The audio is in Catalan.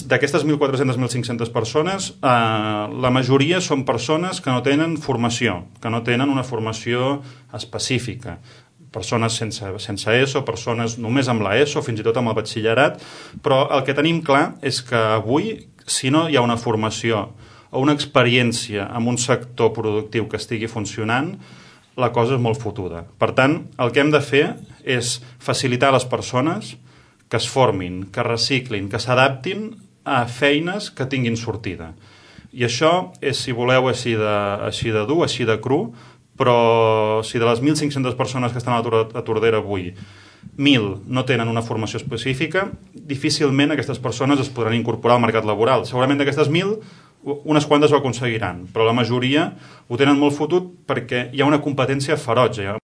d'aquestes 1.400-1.500 persones, la majoria són persones que no tenen formació, que no tenen una formació específica. Persones sense ESO, persones només amb la ESO, fins i tot amb el batxillerat, però el que tenim clar és que avui, si no hi ha una formació o una experiència en un sector productiu que estigui funcionant, la cosa és molt fotuda. Per tant, el que hem de fer és facilitar a les persones que es formin, que reciclin, que s'adaptin a feines que tinguin sortida. I això és, si voleu, així de dur, així de cru, però si de les 1.500 persones que estan a la Tordera avui, 1.000 no tenen una formació específica, difícilment aquestes persones es podran incorporar al mercat laboral. Segurament d'aquestes 1.000, unes quantes ho aconseguiran, però la majoria ho tenen molt fotut perquè hi ha una competència ferotge.